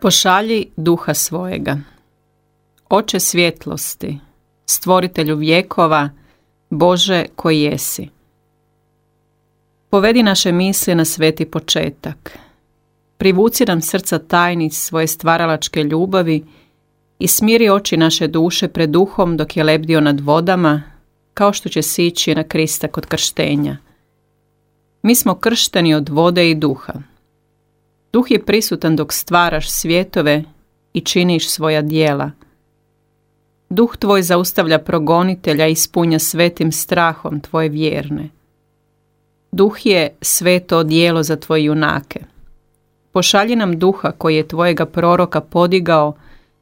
Pošalji duha svojega. Oče svjetlosti, stvoritelju vjekova, Bože koji jesi. Povedi naše misli na sveti početak. Privuci nam srca tajnic svoje stvaralačke ljubavi i smiri oči naše duše pred duhom dok je lebdio nad vodama, kao što će sići na Krista kod krštenja. Mi smo kršteni od vode i duha. Duh je prisutan dok stvaraš svjetove i činiš svoja djela. Duh tvoj zaustavlja progonitelja i ispunja svetim strahom tvoje vjerne. Duh je sveto odijelo za tvoje junake. Pošalji nam duha koji je tvojega proroka podigao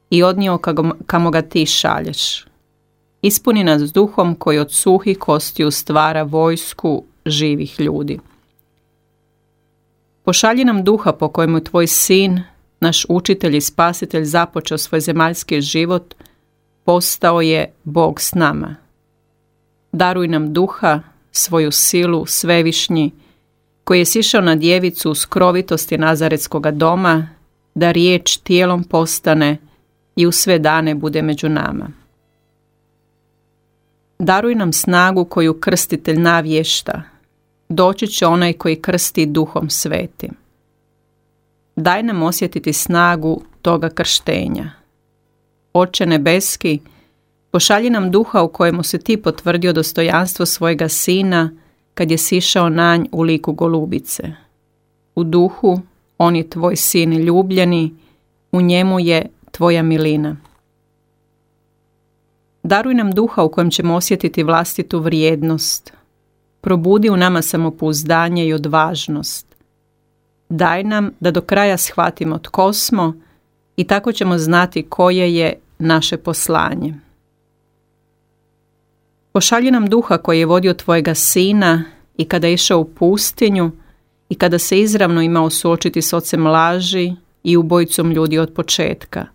i odnio kamo ga ti šalješ. Ispuni nas duhom koji od suhih kostiju stvara vojsku živih ljudi. Pošalji nam duha po kojemu tvoj sin, naš učitelj i spasitelj, započeo svoj zemaljski život, postao je Bog s nama. Daruj nam duha, svoju silu, svevišnji, koji je sišao na djevicu u skrovitosti Nazaretskoga doma, da riječ tijelom postane i u sve dane bude među nama. Daruj nam snagu koju krstitelj navješta. Doći će onaj koji krsti duhom svetim. Daj nam osjetiti snagu toga krštenja. Oče nebeski, pošalji nam duha u kojemu se ti potvrdio dostojanstvo svojega sina kad je sišao na nj u liku golubice. U duhu on je tvoj sin ljubljeni, u njemu je tvoja milina. Daruj nam duha u kojem ćemo osjetiti vlastitu vrijednost. Probudi u nama samopouzdanje i odvažnost. Daj nam da do kraja shvatimo tko smo i tako ćemo znati koje je naše poslanje. Pošalji nam duha koji je vodio tvojega sina i kada je išao u pustinju i kada se izravno imao suočiti s ocem laži i ubojicom ljudi od početka.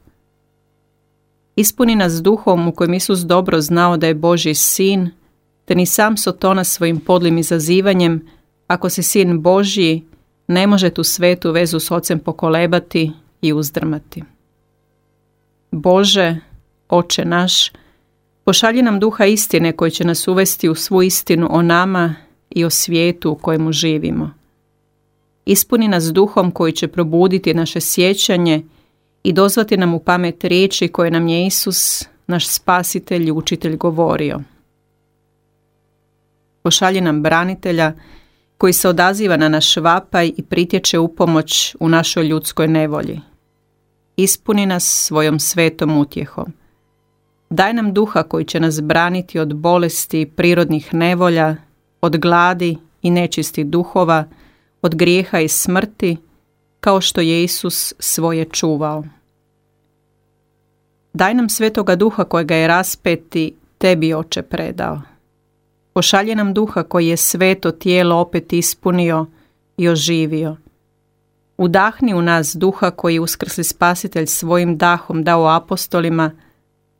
Ispuni nas duhom u kojem Isus dobro znao da je Božji sin, te ni sam Sotona svojim podlim izazivanjem, ako si sin Božji, ne može tu svetu vezu s ocem pokolebati i uzdrmati. Bože, Oče naš, pošalji nam duha istine koji će nas uvesti u svu istinu o nama i o svijetu u kojemu živimo. Ispuni nas duhom koji će probuditi naše sjećanje i dozvati nam u pamet riječi koje nam je Isus, naš spasitelj i učitelj, govorio. Pošalji nam branitelja koji se odaziva na naš vapaj i pritječe u pomoć u našoj ljudskoj nevolji. Ispuni nas svojom svetom utjehom. Daj nam duha koji će nas braniti od bolesti i prirodnih nevolja, od gladi i nečistih duhova, od grijeha i smrti, kao što je Isus svoje čuvao. Daj nam svetoga duha kojega je raspeti tebi, Oče, predao. Pošalji nam duha koji je sveto tijelo opet ispunio i oživio. Udahni u nas duha koji je uskrsli spasitelj svojim dahom dao apostolima,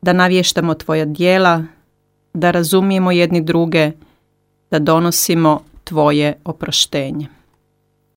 da navještamo tvoja djela, da razumijemo jedni druge, da donosimo tvoje oproštenje.